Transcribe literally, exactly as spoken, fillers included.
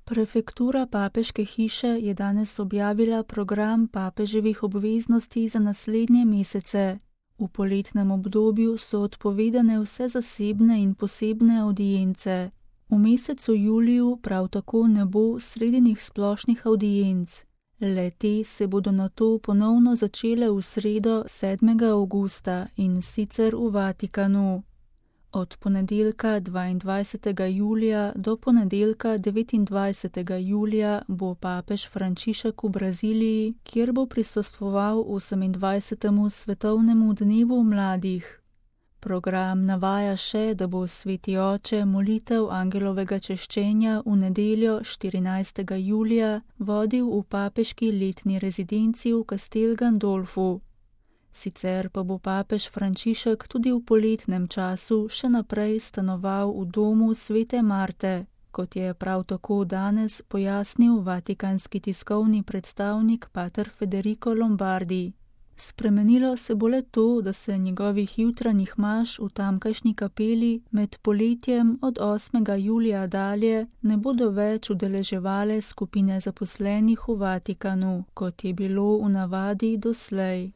Prefektura papeške hiše je danes objavila program papeževih obveznosti za naslednje mesece. V poletnem obdobju so odpovedane vse zasebne in posebne avdience. V mesecu juliju prav tako ne bo sredinih splošnih avdienc. Le-te se bodo nato ponovno začele v sredo sedmega avgusta in sicer v Vatikanu. Od ponedeljka dvaindvajsetega julija do ponedeljka devetindvajsetega julija bo papež Frančišek v Braziliji, kjer bo prisostvoval osemindvajsetemu svetovnemu dnevu mladih. Program navaja še, da bo sveti oče molitev angelovega češčenja v nedeljo štirinajstega julija vodil v papeški letni rezidenci v Castel Gandolfu. Sicer pa bo papež Frančišek tudi v poletnem času še naprej stanoval v domu svete Marte, kot je prav tako danes pojasnil vatikanski tiskovni predstavnik pater Federico Lombardi. Spremenilo se bo le to, da se njegovih jutranjih maš v tamkajšnji kapeli med poletjem od osmega julija dalje ne bodo več udeleževale skupine zaposlenih v Vatikanu, kot je bilo v navadi doslej.